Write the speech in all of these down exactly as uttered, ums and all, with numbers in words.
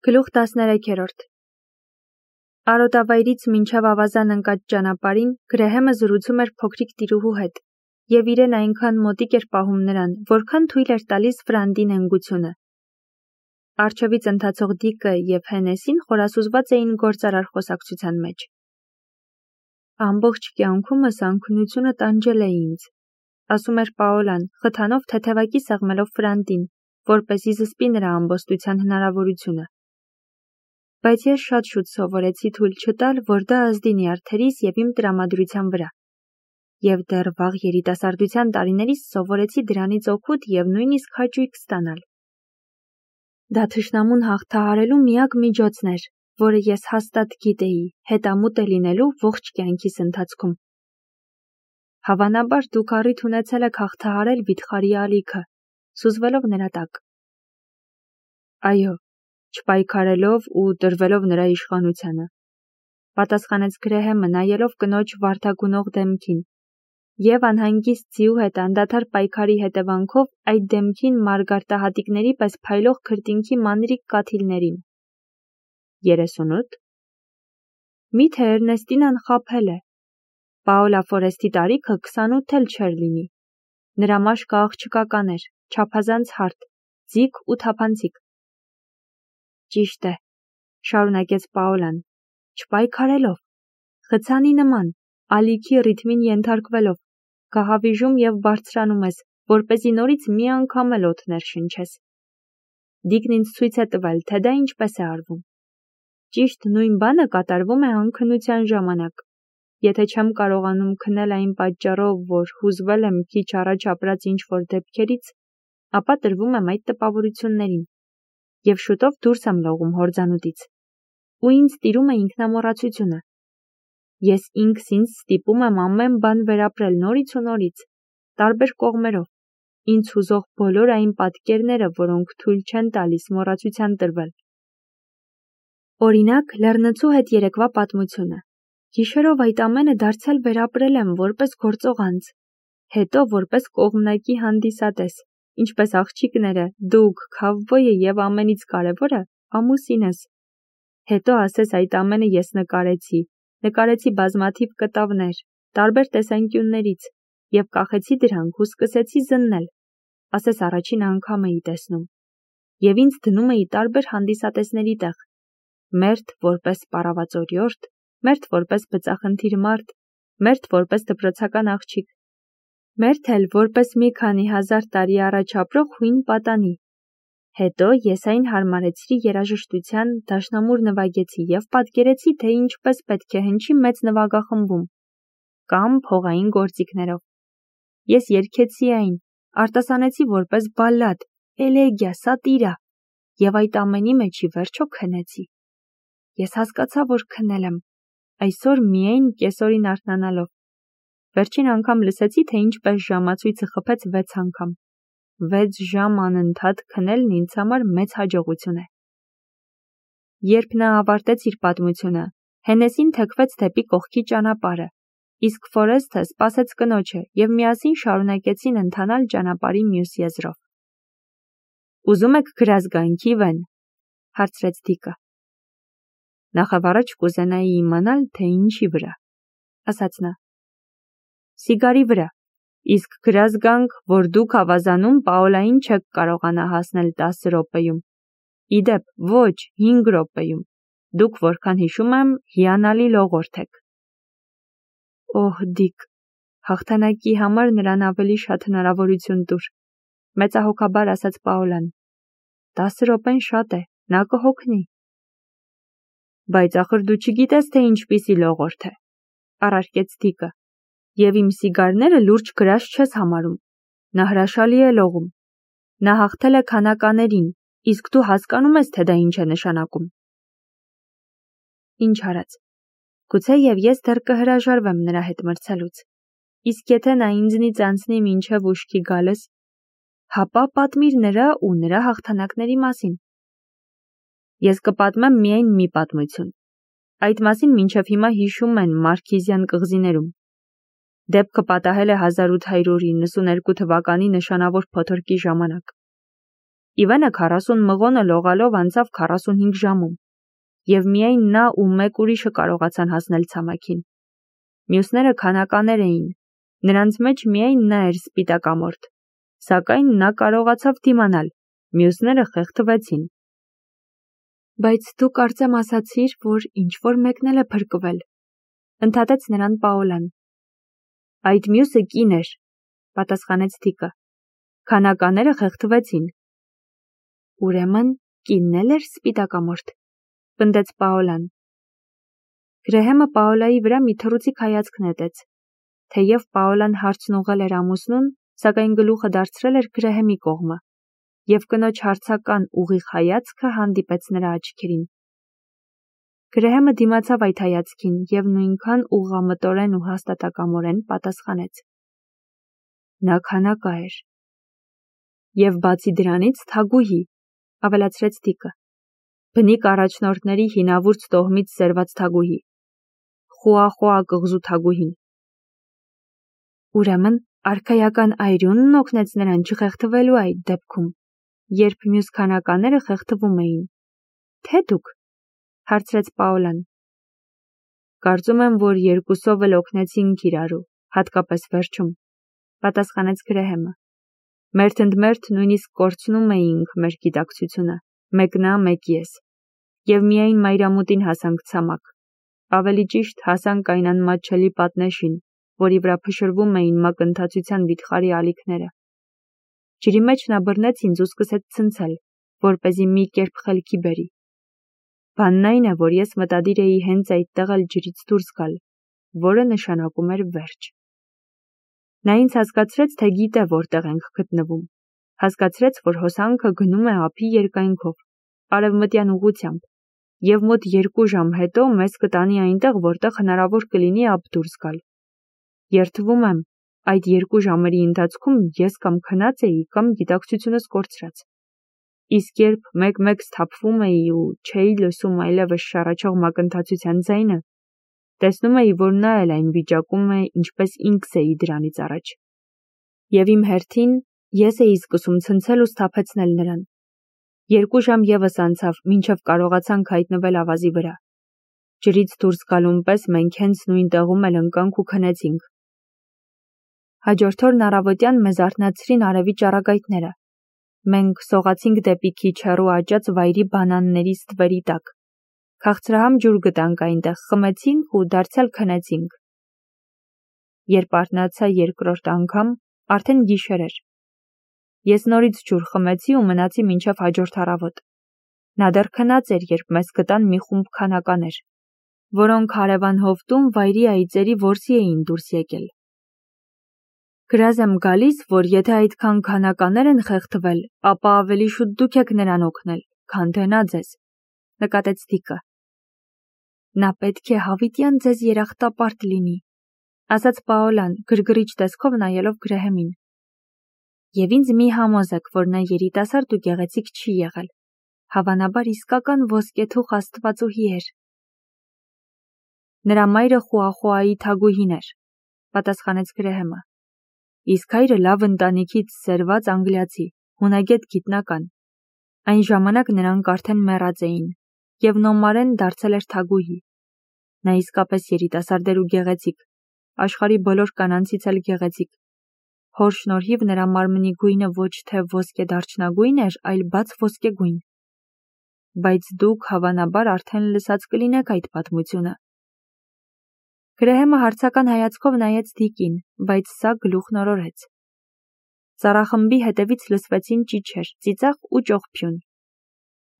Գլուխ տասներեքերորդ Արոտավայրից մինչև ավազան ընկած ճանապարհին Գրեհեմը զրուցում էր փոքրիկ տիրուհու հետ, և իրեն այնքան մոտիկ էր պահում նրան, որքան թույլ էր տալիս Ֆրանդի նենգությունը։ Առջևից ընթացող Դիկը և Հենեսին խորասուզված էին գործարար խոսակցության մեջ։ Ամբողջ կյանքումս անքնությունը տանջել է ինձ, ասում էր Պաոլան, խթանով թեթևակի սեղմելով Ֆրանդին, որպեսզի զսպի նրա ամբոստության հնարավորությունը։ Բայց ես շատ շուտ սովորեցի թույլ չտալ, որ դա ազդի նյարդերիս և իմ տրամադրության վրա։ Եվ դեռ վաղ երիտասարդության տարիներիս սովորեցի դրանից օգուտ և նույնիսկ հաճույք ստանալ։ Դա թշնամուն հաղթահարելու միակ միջոցն էր, որը ես հաստատ գիտեի, հետամուտ է լինելու ողջ կյանքիս ընթացքում։ Հավանաբար դուք առիթ ունեցել եք հաղթահարել վիթխարի ալիքը, սուզվելով նրա տակ։ Այո, չպայքարելով ու տրվելով նրա իշխանությանը, պատասխանեց Գրեհեմը, նայելով կնոջ վարդագունող դեմքին, և անհանգիստ ձիու հետ անդադար պայքարի հետևանքով այդ դեմքին մարգարտահատիկների պես փայլող քրտինքի մանրիկ կաթիլներին։ Երեսունութ Միթե Էրնեստինան խաբել է։ Պաոլա Ֆորեստի տարիքը քսանութ էլ չէր լինի։ Նրա մաշկը աղջկական էր, չափազանց հարթ, ձիգ ու թափանցիկ։ Ճիշտ է, շարունակեց Պաոլան, չպայքարելով, խցանի նման, ալիքի ռիթմին ենթարկվելով, գահավիժում և բարձրանում ես, որպեսզի նորից մի անգամ էլ օդ ներշնչես։ Դիկն ինձ ցույց է տվել, թե դա ինչպես է արվում։ Ճիշտ նույն բանը կատարվում է անքնության ժամանակ։ Եթե չեմ կարողանում քնել այն պատճառով, որ հուզվել եմ քիչ առաջ ապրած ինչ-որ դեպքերից, ապա տրվում եմ այդ տպավորություններին, և շուտով դուրս եմ լողում հորձանուտից, ու ինձ տիրում է ինքնամոռացությունը։ Ես ինքս ինձ ստիպում եմ ամեն բան վերապրել նորից ու նորից, տարբեր կողմերով, ինձ հուզող բոլոր այն պատկերները, որոնք թույլ չեն տալիս մոռացության տրվել։ Օրինակ, լեռնցու հետ երեկվա պատմությունը։ Գիշերով այդ ամենը դարձյալ վերապրել եմ որպես գործող անձ, հետո որպես կողմնակի հանդիսատես, ինչպես աղջիկները, դուք, քավբոյը և ամենից կարևորը, ամուսինս։ Հետո ասես այդ ամենը ես նկարեցի, նկարեցի բազմաթիվ կտավներ, տարբեր տեսանկյուններից, և կախեցի դրանք ու սկսեցի զննել, ասես առաջին անգամ էի տեսնում, և ինձ դնում էի տարբեր հանդիսատեսների տեղ, մերթ որպես պառավացորյորդ, մերթ որպես բծախնդիր մարդ, մերթ որպես դպրոցական աղջիկ, մերթ էլ որպես մի քանի հազար տարի առաջ ապրող հույն պատանի։ Հետո ես այն հարմարեցրի երաժշտության, դաշնամուր նվագեցի և պատկերեցի, թե ինչպես պետք է հնչի մեծ նվագախմբում, կամ փողային գործիքներով։ Ես երգեցի այն, արտասանեցի որպես բալլադ, էլեգիա, սատիրա, և այդ ամենի մեջ ի վերջո քնեցի։ Ես հասկացա, որ քնել եմ, այսօր միայն կեսօրին արթնանալով։ Վերջին անգամ լսեցի, թե ինչպես ժամացույցը խփեց վեց անգամ։ Վեց ժամ անընդհատ քնելն ինձ համար մեծ հաջողություն է։ Երբ նա ավարտեց իր պատմությունը, Հենեսին թեքվեց դեպի կողքի ճանապարհը, իսկ Ֆորեսթը սպասեց կնոջը և միասին շարունակեցին ընթանալ ճանապարհի մյուս եզրով։ Ուզում եք գրազգանքի վեն, հարցրեց Դիկը։ Նախավառաջ կուզենայի իմանալ, թե ինչի վրա, ասաց նա։ Սիգարի վրա, իսկ գրազգանք, որ դուք ավազանում Պաոլային չեք կարողանա հասնել տասը րոպեում։ Իդեպ, ոչ, հինգ րոպեում, դուք որքան հիշում եմ, հիանալի լողորդ եք։ Օհ, Դիկ, հաղթանակի համար նրան ավելի շատ հնարավորություն տուր, մեծահոգաբար ասաց Պաոլան։ Տասը րոպեն շատ է, նա կհոգնի։ Բայց ախր դու չգիտես, թե ինչպիսի լողորդ է, առարկեց Դիկը, և իմ սիգարները լուրջ գրաշ չես համարում։ Նա հրաշալի է լողում։ Նա հաղթել է քանականերին, իսկ դու հասկանում ես, թե դա ինչ է նշանակում։ Ինչ արած։ Գուցեև ես դեռ կհրաժարվեմ նրա հետ մրցելուց, իսկ եթե նա ինձնից անցնի մինչև ուշքի գալս, հապա պատմիր նրա ու նրա հաղթանակների մասին։ Ես կպատմեմ միայն մի պատմություն։ Այդ մասին մինչև հիմա հիշում են Մարքիզյան կղզիներում։ Դեպքը պատահել է հազար ութ հարյուր իննսուներկու թվականի նշանավոր փոթորկի ժամանակ։ Իվանը քառասուն մղոնը լողալով անցավ քառասունհինգ ժամում, և միայն նա ու մեկ ուրիշը կարողացան հասնել ցամաքին։ Մյուսները քանականեր էին, նրանց մեջ միայն նա էր սպիտակամորթ, սակայն նա կարողացավ դիմանալ, մյուսները խեղդվեցին։ Բայց դու կարծեմ ասացիր, որ ինչ-որ մեկն էլ է փրկվել, ընդհատեց նրան Պաոլան։ Այդ մյուսը կին էր, պատասխանեց Դիկը։ Քանակաները խեղդվեցին։ Ուրեմն կինն էլ էր սպիտակամորթ, պնդեց Պաոլան։ Գրեհեմը Պաոլայի վրա մի թռուցիկ հայացք նետեց։ Թեև Պաոլան հարցն ուղղել էր ամուսնուն, սակայն գլուխը դարձրել էր Գրեհեմի կողմը, և կնոջ հարցական ուղիղ հայացքը հանդիպեց նրա աչքերին։ Գրեհեմը դիմացավ այդ հայացքին և նույնքան ուղղամտորեն ու հաստատակամորեն պատասխանեց. Նա քանակա էր։ Եվ բացի դրանից թագուհի, ավելացրեց Դիկը։ Բնիկ առաջնորդների հինավուրց տոհմից սերված թագուհի։ Խուախուա կղզու թագուհին։ Ուրեմն արքայական այրունն օգնեց նրան չխեղդվելու այդ դեպքում, երբ մյուս քանականները խեղդվում էին։ Թե դուք, հարցրեց Պաոլան։ Կարծում եմ, որ երկուսով էլ օգնեցինք իրարու, հատկապես վերջում, պատասխանեց Գրեհեմը։ Մերթ ընդ մերթ նույնիսկ կորցնում էինք մեր գիտակցությունը, մեկ նա, մեկ ես, և միայն մայրամուտին հասանք ցամաք, ավելի ճիշտ հասանք այն անմատչելի պատնեշին, որի վրա փշրվում էին մակընթացության վիթխարի ալիքները։ Ջրի մեջ նա բռնեց ինձ ու սկսեց ցնցել, որպեսզի մի կերպ խելքի բերի։ Բանն այն է, որ ես մտադիր էի հենց այդտեղ էլ ջրից դուրս գալ, որը նշանակում էր վերջ։ Նա ինձ հասկացրեց, թե գիտե որտեղ ենք գտնվում, հասկացրեց, որ հոսանքը գնում է ափի երկայնքով, արևմտյան ուղղությամբ, և մոտ երկու ժամ հետո մեզ կտանի այնտեղ, որտեղ հնարավոր կլինի ափ դուրս գալ։ Երդվում եմ, այդ երկու ժամերի ընթացքում ես կամ քնած էի, կամ գիտակցությունս կորցրած։ Իսկ երբ մեկ-մեկ սթափվում էի ու չէի լսում այլևս շառաչող մակընթացության ձայնը, տեսնում էի, որ նա էլ այն վիճակում է, ինչպես ինքս էի դրանից առաջ։ Եվ իմ հերթին ես էի սկսում ցնցել ու սթափեցնել նրան։ Երկու ժամ ևս անցավ, մինչև կարողացանք հայտնվել ավազի վրա։ Ջրից դուրս գալուն պես մենք հենց նույն տեղում էլ ընկանք ու քնեցինք։ Հաջորդ օրն առավոտյան մեզ արթնացրին արևի ճառագայթները։ Մենք սողացինք դեպի քիչ հեռու աճած վայրի բանանների ստվերի տակ։ Քաղցրահամ ջուր գտանք այնտեղ, խմեցինք ու դարձյալ քնեցինք։ Երբ արթնացա երկրորդ անգամ, արդեն գիշեր էր։ Ես նորից ջուր խմեցի ու մնացի մինչև հաջորդ առավոտ։ Նա դեռ քնած էր, երբ մեզ գտան մի խումբ քանականեր, որոնք հարևան հովտում վայրի այծերի որսի էին դուրս եկել։ Գրազ եմ գալիս, որ եթե այդքան քանականեր են խեղդվել, ապա ավելի շուտ դուք եք նրան օգնել, քան թե նա ձեզ, նկատեց Դիկը։ Նա պետք է հավիտյան ձեզ երախտապարտ լինի, ասաց Պաոլան, գրգռիչ տեսքով նայելով Գրեհեմին։ Եվ ինձ մի համոզեք, որ նա երիտասարդ ու գեղեցիկ չի եղել, հավանաբար իսկական ոսկեթուխ աստվածուհի էր։ Նրա մայրը Խուախուայի թագուհին էր, պատասխանեց Գրեհեմը։ Իսկ հայրը լավ ընտանիքից սերված անգլիացի, հունագետ գիտնական։ Այն ժամանակ նրանք արդեն մեռած էին, և Նոմարեն դարձել էր թագուհի։ Նա իսկապես երիտասարդ էր ու գեղեցիկ, աշխարհի բոլոր կանանցից էլ գեղեցիկ։ Հոր շնորհիվ նրա մարմնի գույնը ոչ թե ոսկե դարչնագույն էր, այլ բաց ոսկեգույն։ Բայց դուք հավանաբար արդեն լսած կլինեք այդ պատմությունը։ Գրեհեմը հարցական հայացքով նայեց Դիկին, բայց սա գլուխնորորեց։ Ծառախմբի հետևից լսվեցին ճիչեր, ծիծաղ ու ճողփյուն։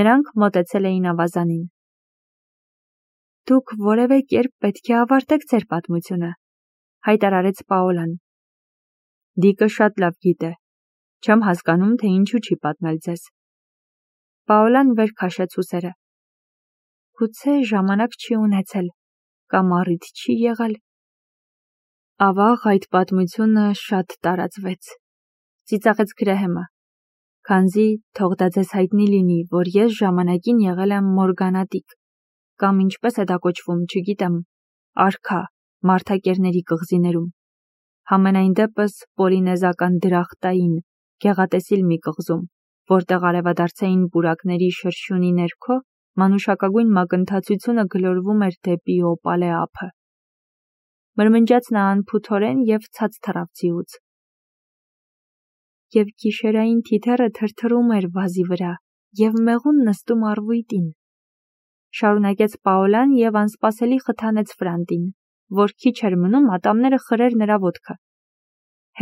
Նրանք մոտեցել էին ավազանին։ Դուք որևէ կերպ պետք է ավարտեք ձեր պատմությունը, հայտարարեց Պաոլան։ Դիկը շատ լավ գիտե։ Չեմ հասկանում, թե ինչու չի պատմել ձեզ։ Պաոլան վեր քաշեց ուսերը։ Գուցե ժամանակ չի ունեցել, կամ առիթ չի եղել։ Ավաղ այդ պատմությունը շատ տարածվեց, ծիծաղեց Գրեհեմը, քանզի թող դա ձեզ հայտնի լինի, որ ես ժամանակին եղել եմ մորգանատիկ, կամ ինչպես է դա կոչվում, չգիտեմ, արքա, մարդակերների կղզիներում, համենայն դեպս պոլինեզական դրախտային, գեղատեսիլ մի կղզում, որտեղ արևադարձային պուրակների շրշյունի ներքո մանուշակագույն մակընթացությունը գլորվում էր դեպի օպալե ափը։ Մրմնջաց նա անփութորեն և ցած թռավ ձիուց։ Եվ գիշերային թիթեռը թրթռում էր վազի վրա և մեղուն նստում առվույտին։ Շարունակեց Պաոլան և անսպասելի խթանեց Ֆրանտին, որ քիչ էր մնում ատամները խրեր նրա ոտքը։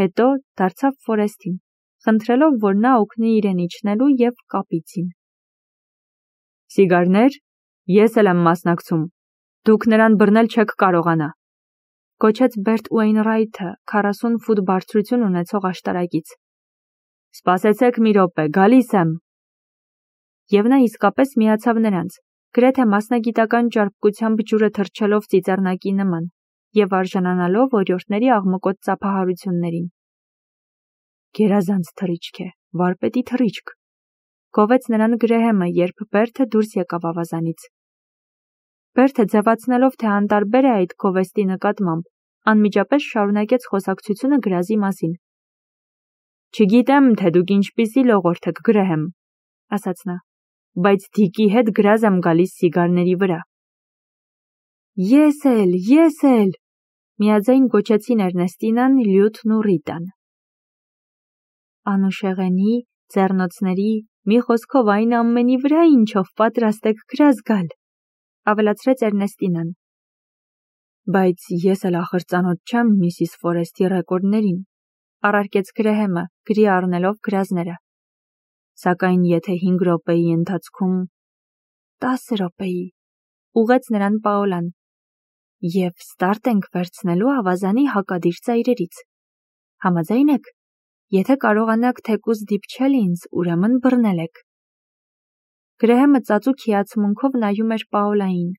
Հետո դարձավ Ֆորեստին, խնդրելով, որ նա օգնի իրեն իջնելու և կապիցին։ Սիգարներ, ես էլ եմ մասնակցում, դուք նրան բռնել չեք կարողանա, գոչեց Բերտ Ուեյնրայթը քառասուն ֆուտ բարձրություն ունեցող աշտարակից։ Սպասեցեք մի րոպե, գալիս եմ։ Եվ նա իսկապես միացավ նրանց, գրեթե մասնագիտական ճարպկությամբ ջուրը թռչելով ծիծեռնակի նման և արժանանալով օրիորդների աղմկոտ ծափահարություններին։ Գերազանց թռիչք է, վարպետի թռիչք, գովեց նրան Գրեհեմը, երբ Բերթը դուրս եկավ ավազանից։ Բերթը ձևացնելով, թե անտարբեր է այդ գովեստի նկատմամբ, անմիջապես շարունակեց խոսակցությունը գրազի մասին։ Չգիտեմ, թե դուք ինչպիսի լողորդ եք, Գրեհեմ, ասաց նա, բայց Դիկի հետ գրազ եմ գալիս սիգարների վրա։ Ես էլ, ես էլ, միաձայն գոչեցին Էրնեստինան, Լյութն ու Ռիտան։ Անուշեղենի, ձեռնոցների, մի խոսքով այն ամենի վրա, ինչով պատրաստ եք գրազ գալ, ավելացրեց Էրնեստինան։ Բայց ես էլ ախր ծանոթ չեմ Միսիս Ֆորեստի ռեկորդներին, առարկեց Գրեհեմը, գրի առնելով գրազները։ Սակայն եթե հինգ րոպեի ընթացքում տասը րոպեի, ուղղեց նրան Պաոլան, և ստարտ ենք վերցնելու ավազանի հակադիր ծայրերից։ Համաձայն եք, եթե կարողանաք թեկուզ դիպչել ինձ, ուրեմն բռնել եք։ Գրեհեմը ծածուկ հիացմունքով նայում էր Պաոլային։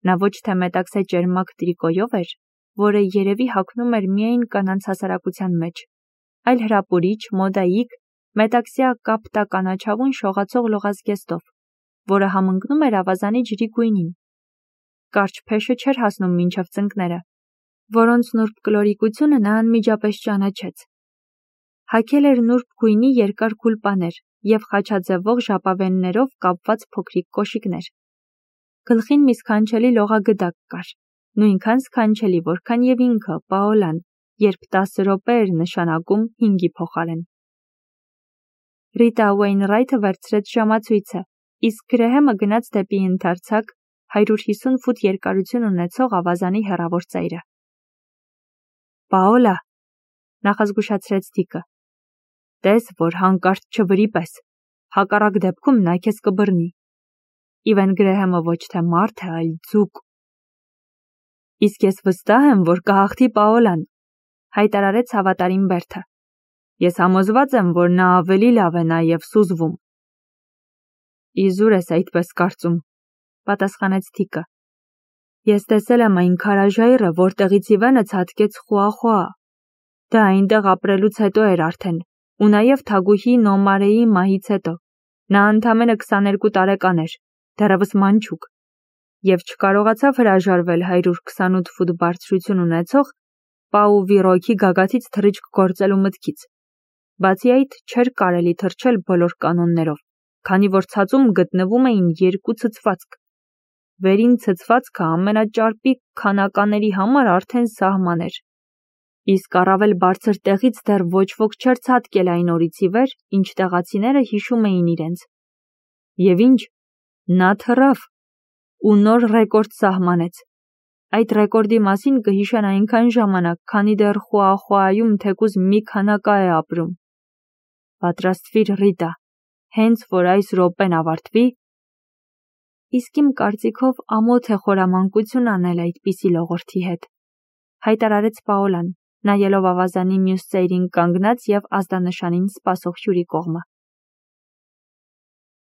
Նա ոչ թե մետաքսե ճերմակ տրիկոյով էր, որը երևի հագնում էր միայն կանանց հասարակության մեջ, այլ հրապուրիչ, մոդայիկ, մետաքսյա կապտականաչավուն շողացող լողազգեստով, որը համընկնում էր ավազանի ջրի գույնին։ Կարճ փեշը չէր հասնում մինչև ծնկները, որոնց նուրբ կլորիկությունը նա անմիջապես ճանաչեց։ Հագել էր նուրբ գույնի երկար գուլպաներ և խաչաձևող ժապավեններով կապված փոքրիկ կոշիկներ։ Գլխին մի սքանչելի լողագդակ կար, նույնքան սքանչելի, որքան և ինքը, Պաոլան, երբ տասը րոպե էր նշանակում հինգի փոխարեն։ Ռիտա Ուեյնրայթը վերցրեց ժամացույցը, իսկ Գրեհեմը գնաց դեպի ընդարձակ հարյուր հիսուն ֆուտ երկարություն ունեցող ավազանի հեռավոր ծայրը։ Պաոլա, նախազգուշացրեց Դիկը, տես, որ հանկարծ չվրիպես, հակառակ դեպքում նա քեզ կբռնի։ Իվեն Գրեհեմը ոչ թե մարդ է, այլ ձուկ։ Իսկ ես վստահ եմ, որ կհաղթի Պաոլան, հայտարարեց հավատարիմ Բերթը։ Ես համոզված եմ, որ նա ավելի լավ է նաև սուզվում։ Իզուր ես այդպես կարծում, պատասխանեց Դիկը։ Ես տեսել եմ այն քարաժայռը, որտեղից Իվենը ցատկեց խուախուա։ Դա այնտեղ ապրելուց հետո էր արդեն, ու նաև թագուհի Նոմարեի մահից հետո։ Նա ընդամենը քսաներկու տարեկան էր, դեռևս մանչուկ, և չկարողացավ հրաժարվել հարյուր քսանութ ֆուտ բարձրություն ունեցող Պաուվիրոքի գագաթից թռիչք գործելու մտքից։ Բացի այդ, չէր կարելի թռչել բոլոր կանոններով, քանի որ ցածում գտնվում էին երկու ցցվածք։ Վերին ցցվածքը ամենաճարպիկ քանականների համար արդեն սահման էր։ Իսկ առավել բարձր տեղից դեռ ոչ ոք չէր ցատկել այն օրից ի վեր, ինչ տեղացիները հիշում էին իրենց։ Եվ ինչ, նա թռավ ու նոր ռեկորդ սահմանեց։ Այդ ռեկորդի մասին կհիշեն այնքան ժամանակ, քանի դեռ Խուախուայում թեկուզ մի քանակա է ապրում։ Պատրաստվիր, Ռիտա, հենց որ այս րոպեն ավարտվի։ Իսկ իմ կարծիքով ամոթ է խորամանկություն անել այդպիսի լողորդի հետ, հայտարարեց Պաոլան, նայելով ավազանի մյուս ծայրին կանգնած և ազդանշանին սպասող հյուրի կողմը։